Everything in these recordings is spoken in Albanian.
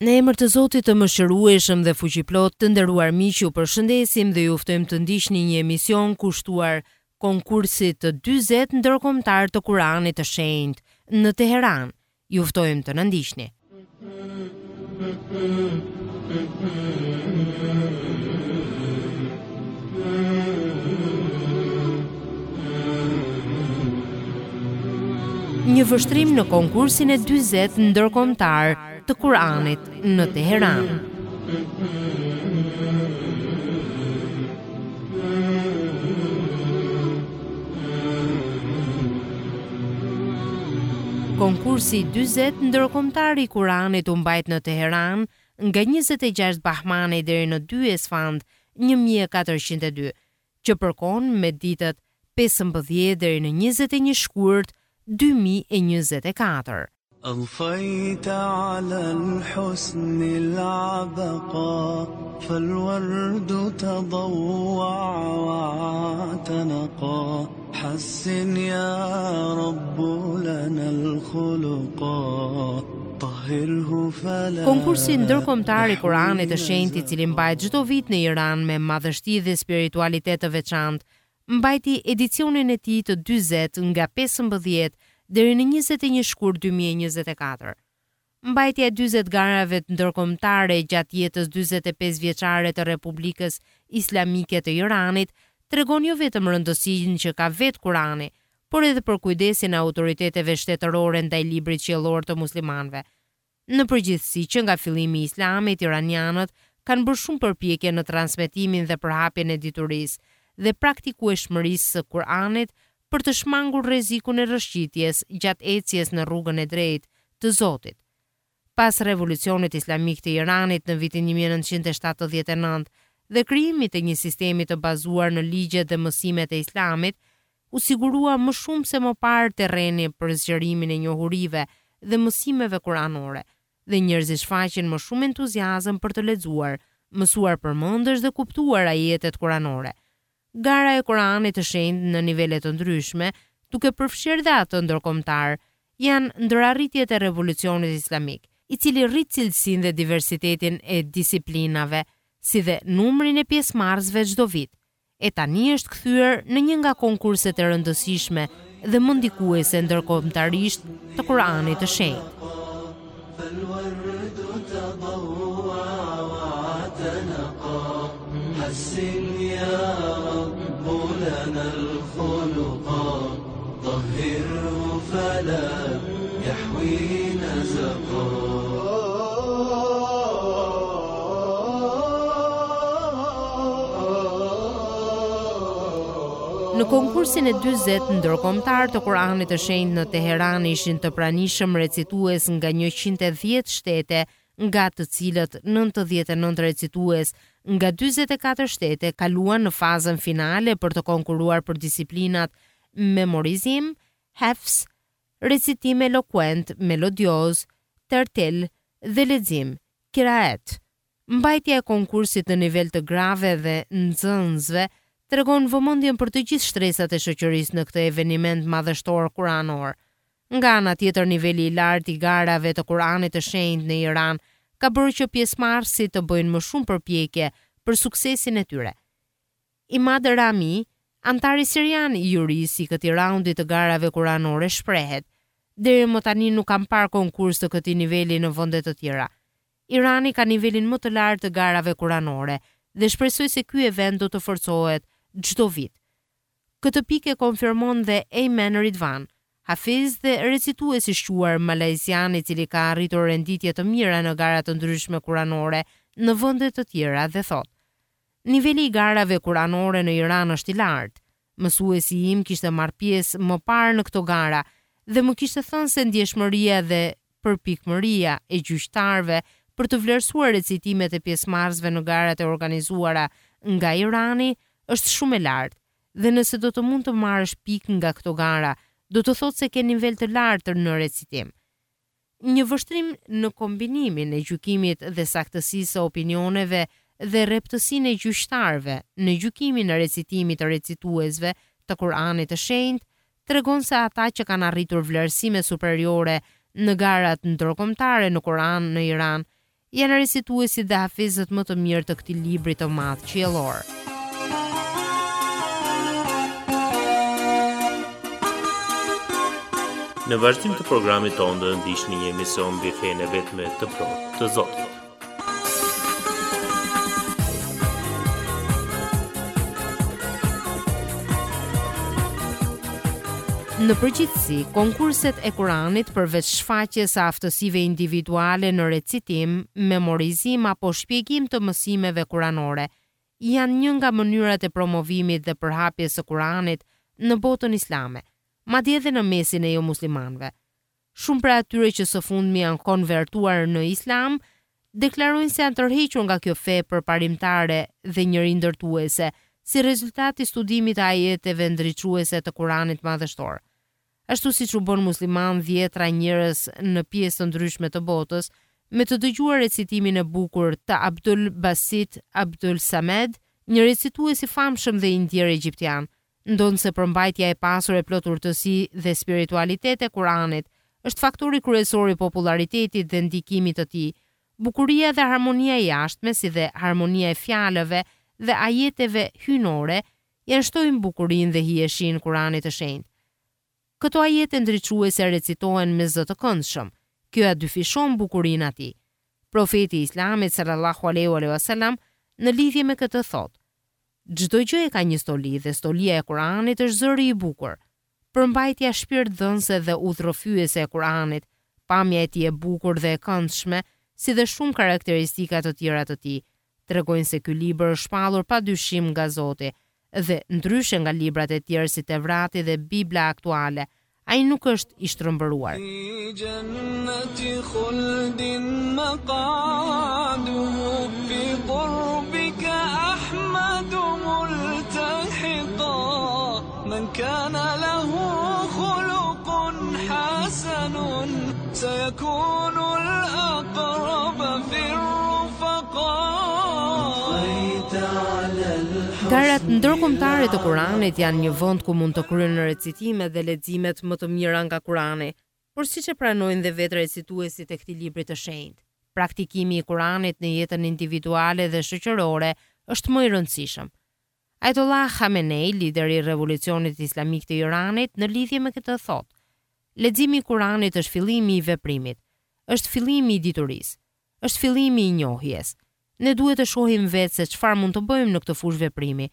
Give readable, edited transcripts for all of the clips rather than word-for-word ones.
Në emër të Zotit të Mëshirueshëm dhe Fuqiplotë, të nderuar miq, ju përshëndesim dhe ju ftojmë të ndiqni një emision kushtuar konkursit të 40 ndërkombëtar të Kuranit të Shenjtë në Teheran. Ju ftojmë të na ndiqni. Një vështrim në konkursin e 40 ndërkombëtar të Kuranit në Teheran. Konkursi i 40 ndërkombëtar i Kuranit u mbajt në Teheran nga 26 Bahmani deri në 2 Esfand 1402, që përkon me ditët 15 deri në 21 shkurt 2024. أضفيت على الحسن العبقا فالورد تضوع واعتنقا حسن يا رب لنا الخلقا طهره فلا Konkursi ndërkombëtar i Kuranit të Shenjtë, i cili mbahet çdo vit në Iran me madhështi dhe spiritualitet të veçantë, mbajti edicionin e tij të 40 nga 15 deri në 21 shkurt 2024. Mbajtja e 40 garave ndërkombëtare gjatë jetës 45 vjeçare të Republikës Islamike të Iranit tregon jo vetëm rëndësinë që ka vetë Kurani, por edhe për kujdesin e autoriteteve shtetërore ndaj librit qiellor të muslimanëve. Në përgjithësi, që nga fillimi i Islamit, iranianët kanë bërë shumë përpjekje në transmetimin dhe përhapjen e diturisë dhe praktikueshmërisë së Kur'anit për të shmangur rrezikun e rrëshqitjes gjatë ecjes në rrugën e drejtë të Zotit. Pas Revolucionit Islamik të Iranit në vitin 1979 dhe krijimit të një sistemi të bazuar në ligjet dhe mësimet e Islamit, u sigurua më shumë se më parë terreni për zgjerimin e njohurive dhe mësimeve kuranore, dhe njerëzit shfaqin më shumë entuziazëm për të lexuar, mësuar përmendësh dhe kuptuar ajetet kuranore. Gara e Kuranit të Shenjtë në nivele të ndryshme, duke përfshirë dhe atë ndërkombëtar, janë ndër arritjet e Revolucionit Islamik, i cili rrit cilësinë dhe diversitetin e disiplinave, si dhe numrin e pjesëmarrësve çdo vit, e tani është kthyer në një nga konkurset e rëndësishme dhe më ndikuese ndërkombëtarisht të Kuranit të Shenjtë. فالورد تضوع واعتنقا حسن يا رب لنا الخلقا طهره فلا يحوي نزقا Në konkursin e 40 ndërkombëtar të Kuranit të Shenjtë në Teheran ishin të pranishëm recitues nga 110 shtete, nga të cilët 99 recitues nga 44 shtete kaluan në fazën finale për të konkurruar për disiplinat memorizim, hefs, recitim elokuent, melodioz, tertil dhe lexim, kiraet. Mbajtja e konkursit në nivel të grave dhe nxënësve tregon vëmendjen për të gjithë shtresat e shoqërisë në këtë eveniment madhështor kuranor. Nga ana tjetër, niveli i lartë i garave të Kuranit të Shenjtë në Iran ka bërë që pjesëmarrësit të bëjnë më shumë përpjekje për suksesin e tyre. Imad Rami, anëtari sirian i jurisë i këtij raundi të garave kuranore shprehet: Deri më tani nuk kam parë konkurs të këtij niveli në vende të tjera. Irani ka nivelin më të lartë të garave kuranore dhe shpresoj se ky event do të forcohet çdo vit. Këtë pikë e konfirmon dhe Ayman Ridvan, hafiz dhe recitues i shquar malajzian i cili ka arritur renditje të mira në gara të ndryshme kuranore në vende të tjera dhe thotë: Niveli i garave kuranore në Iran është i lartë. Mësuesi im kishte marrë pjesë më parë në këto gara dhe më kishte thënë se ndjeshmëria dhe përpikmëria e gjyqtarëve për të vlerësuar recitimet e pjesëmarrësve në garat e organizuara nga Irani është shumë e lartë dhe nëse do të mund të marrësh pikë nga këto gara, do të thotë se ke nivel të lartë në recitim. Një vështrim në kombinimin e gjykimit dhe saktësisë së opinioneve dhe rreptësinë e gjyqtarëve në gjykimin e recitimit të recituesve të Kuranit të Shenjtë tregon se ata që kanë arritur vlerësime superiore në garat ndërkombëtare në Kuran në Iran. janë recituesit dhe hafizët më të mirë të këtij libri të madh qiellor. Në vazhdim të programit tonë do të ndiqni një emision mbi fenë e vetme të plotë të Zotit. Në përgjithësi, konkurset e Kuranit përveç shfaqjes së aftësive individuale në recitim, memorizim apo shpjegim të mësimeve kuranore, janë një nga mënyrat e promovimit dhe përhapjes së Kuranit në botën islame, madje edhe në mesin e jomuslimanëve. Shumë prej atyre që së fundmi janë konvertuar në Islam, deklarojnë se janë tërhequr nga kjo fe përparimtare dhe njerindërtuese, si rezultat i studimit të ajeteve ndriçuese të Kuranit Madhështor. Ashtu siç u bënë muslimanë dhjetra njerëz në pjesë të ndryshme të botës, me të dëgjuar recitimin e bukur të Abdul Basit Abdul Samed, një recitues i famshëm dhe i ndjerë egjiptian, Ndonëse përmbajtja e pasur e plot urtësi dhe spiritualitet e Kur'anit është faktori kryesor i popullaritetit dhe ndikimit të tij, bukuria dhe harmonia e jashtme si dhe harmonia e fjalëve dhe ajeteve hyjnore ia shtojnë bukurinë dhe hijeshinë Kur'anit të Shenjtë. Këto ajete ndriçuese recitohen me zë të këndshëm. Kjo ia dyfishon bukurinë atij. Profeti i Islamit, sallallahu alejhi wa sallam, në lidhje me këtë thotë, Çdo gjë e ka një stoli dhe stolia e Kur'anit është zëri i bukur. Përmbajtja shpirtdhënëse dhe udhërrëfyese e Kur'anit, pamja e tij e bukur dhe e këndshme, si dhe shumë karakteristika të tjera të tij, tregojnë se ky libër është shpallur pa dyshim nga Zoti dhe, ndryshe nga librat e tjerë si Tevrati dhe Bibla aktuale, ai nuk është i shtrembëruar. Garat ndërkombëtare të Kuranit janë një vend ku mund të kryhen recitimet dhe leximet më të mira nga Kurani, por siç e pranojnë dhe vetë recituesit e këtij libri të shenjtë, praktikimi i Kuranit në jetën individuale dhe shoqërore është më i rëndësishëm. Ajatollah Khamenei, lideri i Revolucionit Islamik të Iranit, në lidhje me këtë thotë, Leximi i Kuranit është fillimi i veprimit, është fillimi i diturisë, është fillimi i njohjes. Ne duhet të shohim vetë se çfarë mund të bëjmë në këtë fushë veprimi.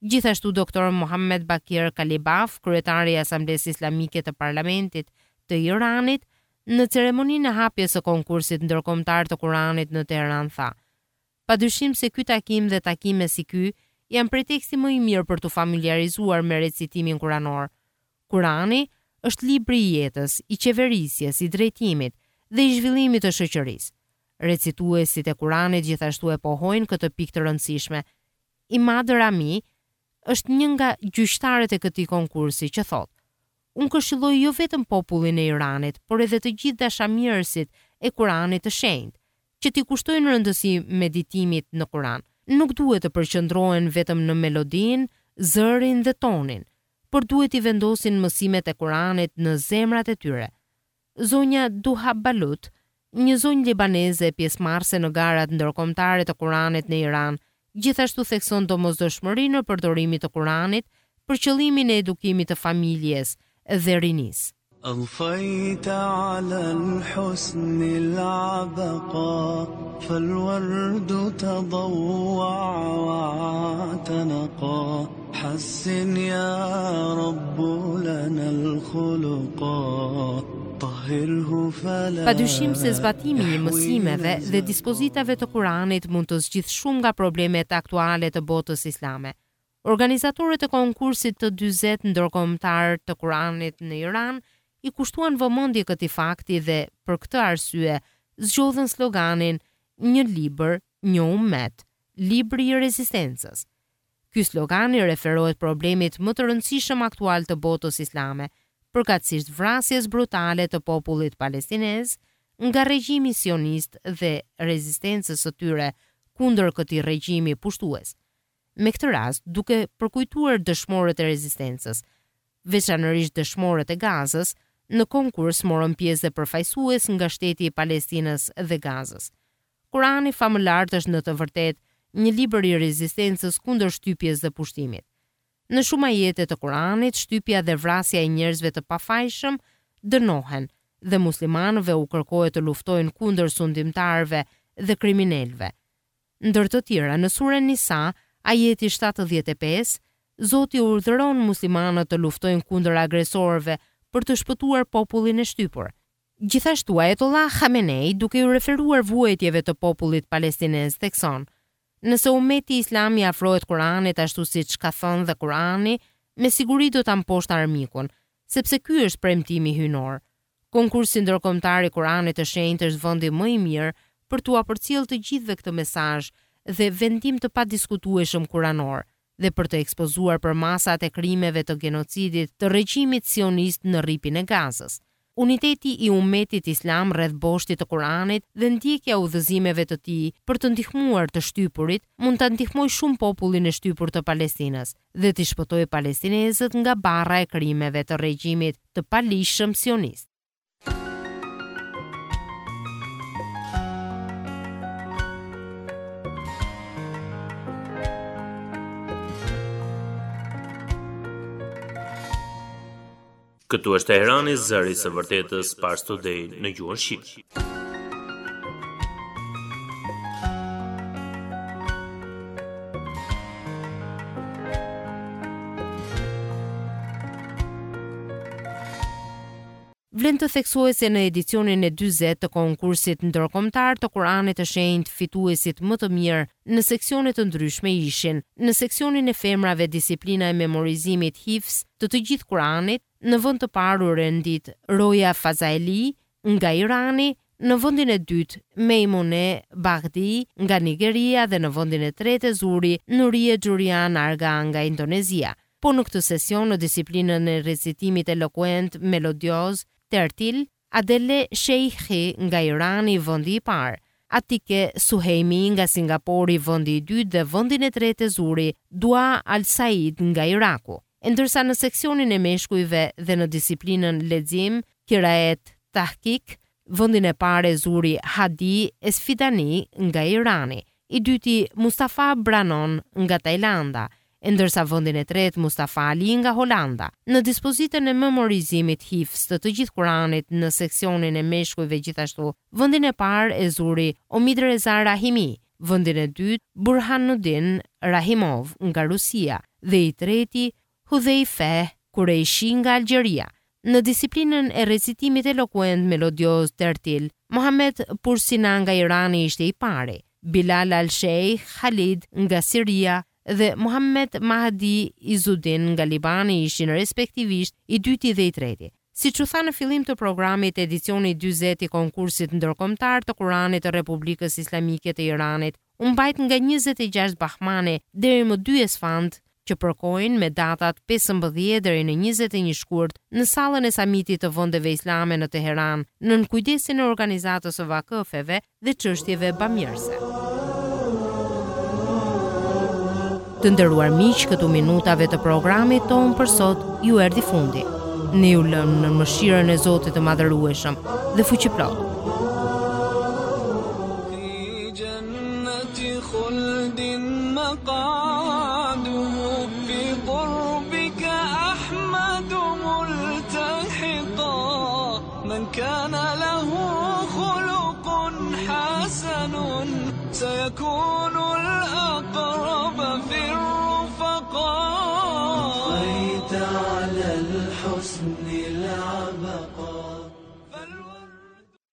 Gjithashtu Doktor Mohammed Bakir Kalibaf, kryetari i Asamblesë Islamike të Parlamentit të Iranit, në ceremoninë e hapjes së konkursit ndërkombëtar të Kuranit në Teheran tha, Padyshim se ky takim dhe takime si ky janë preteksti më i mirë për t'u familjarizuar me recitimin kuranor. Kurani është libri i jetës, i qeverisjes, i drejtimit dhe i zhvillimit të shoqërisë. Recituesit e Kuranit gjithashtu e pohojnë këtë pikë të rëndësishme. Imad Rami është një nga gjyqtarët e këtij konkursi që thotë, Unë këshilloj jo vetëm popullin e Iranit, por edhe të gjithë dashamirësit e Kuranit të Shenjtë, që t'i kushtojnë rëndësi meditimit në Kuran. Nuk duhet të përqendrohen vetëm në melodinë, zërin dhe tonin, por duhet t'i vendosin mësimet e Kuranit në zemrat e tyre. Zonja Duha Balut, një zonjë libaneze pjesëmarrëse në garat ndërkombëtare të Kuranit në Iran, gjithashtu thekson domosdoshmërinë e përdorimit të Kuranit për qëllimin e edukimit të familjes dhe rinisë. أضفيت على الحسن العبقا فالورد تضوع واعتنقا حسن يا رب لنا الخلقا طهره فلا Padyshim se zbatimi i mësimeve dhe dispozitave të Kuranit mund të zgjidhë shumë nga problemet aktuale të botës islame. Organizatorët e konkursit të 40 ndërkombëtar të Kuranit në Iran i kushtuan vëmendje këtij fakti dhe për këtë arsye zgjodhën sloganin Një libër, një ummet, libri i rezistencës. Ky slogan i referohet problemit më të rëndësishëm aktual të botës islame, përkatësisht vrasjes brutale të popullit palestinez nga regjimi sionist dhe rezistencës së tyre kundër këtij regjimi pushtues. Me këtë rast, duke përkujtuar dëshmorët e rezistencës, veçanërisht dëshmorët e Gazës, në konkurs morën pjesë dhe përfaqësues nga shteti i Palestinës dhe Gazës. Kurani famëlartë është në të vërtetë një libër i rezistencës kundër shtypjes dhe pushtimit. Në shumë ajete të Kuranit, shtypja dhe vrasja e njerëzve të pafajshëm dënohen dhe muslimanëve u kërkohet të luftojnë kundër sundimtarëve dhe kriminelëve. Ndër të tjera, në Suren Nisa, ajeti 75, Zoti urdhëron muslimanët të luftojnë kundër agresorëve për të shpëtuar popullin e shtypur. Gjithashtu, Ajatollah Khamenei, duke iu referuar vuajtjeve të popullit palestinez, thekson, Nëse ummeti islam i afrohet Kuranit ashtu siç ka thënë dhe Kurani, me siguri do ta mposhtë armikun, sepse ky është premtimi hyjnor. Konkursi Ndërkombëtar i Kuranit të Shenjtë është vendi më i mirë për t'ua përcjellë të gjithëve këtë mesazh dhe vendim të padiskutueshëm kuranor dhe për të ekspozuar përmasat e krimeve të genocidit të regjimit sionist në Rripin e Gazës. Uniteti i ummetit islam rreth boshtit të Kuranit dhe ndjekja e udhëzimeve të tij për të ndihmuar të shtypurit mund ta ndihmojë shumë popullin e shtypur të Palestinës dhe t'i shpëtojë palestinezët nga barra e krimeve të regjimit të paligjshëm sionist. Këtu është Teherani, zëri i së vërtetës Pars Today në gjuhën shqipe. Vlen të theksohet se në edicionin e 40 të konkursit ndërkombëtar të Kuranit të Shenjtë fituesit më të mirë në seksione të ndryshme ishin, në seksionin e femrave disiplina e memorizimit hifz të të gjithë Kuranit, në vend të parë u rendit Roja Fazaeli nga Irani, në vendin e dytë Mejmune Bahdi nga Nigeria dhe në vendin e tretë e zuri Nurie Xhurian Arga nga Indonezia. Po në këtë sesion në disiplinën e recitimit elokuent melodioz, tertil, Adele Sheikhi nga Irani vendi i parë, Atike Suhejmi nga Singapori vendi i dytë dhe vendin e tretë e zuri Dua Al Said nga Iraku. E ndërsa në seksionin e meshkujve dhe në disiplinën lexim, Kiraet Tahkik, vendin e parë e zuri Hadi Esfidani nga Irani, i dyti Mustafa Branon nga Tajlanda, e ndërsa vendin e tretë Mustafa Ali nga Holanda. Në dispozitën e memorizimit hifz të të gjithë Kuranit në seksionin e meshkujve gjithashtu, vendin e parë e zuri Omidreza Rahimi, vendin e dytë Burhanuddin Rahimov nga Rusia dhe i treti Hudhejfeh Kureishi nga Algjeria. Në disiplinën e recitimit elokuent melodioz tertil, Mohamed Pursina nga Irani ishte i pari, Bilal al-Sheikh Khalid nga Siria dhe Mohamed Mahdi Izudin nga Libani ishin respektivisht i dyti dhe i treti. Siç u tha në fillim të programit, edicioni i 40 i konkursit ndërkombëtar të Kuranit të Republikës Islamike të Iranit u mbajt nga 26 Bahmani deri më 2 Esfand që përkojnë me datat 15 deri në 21 shkurt në sallën e samitit të vendeve islame në Teheran, nën kujdesin e organizatës së vakëfeve dhe çështjeve bamirëse. Të nderuar miq, këtu minutave të programit tonë për sot ju erdhi fundi. Ne ju lëmë në mëshirën e Zotit të Madhërueshëm dhe Fuqiplotë.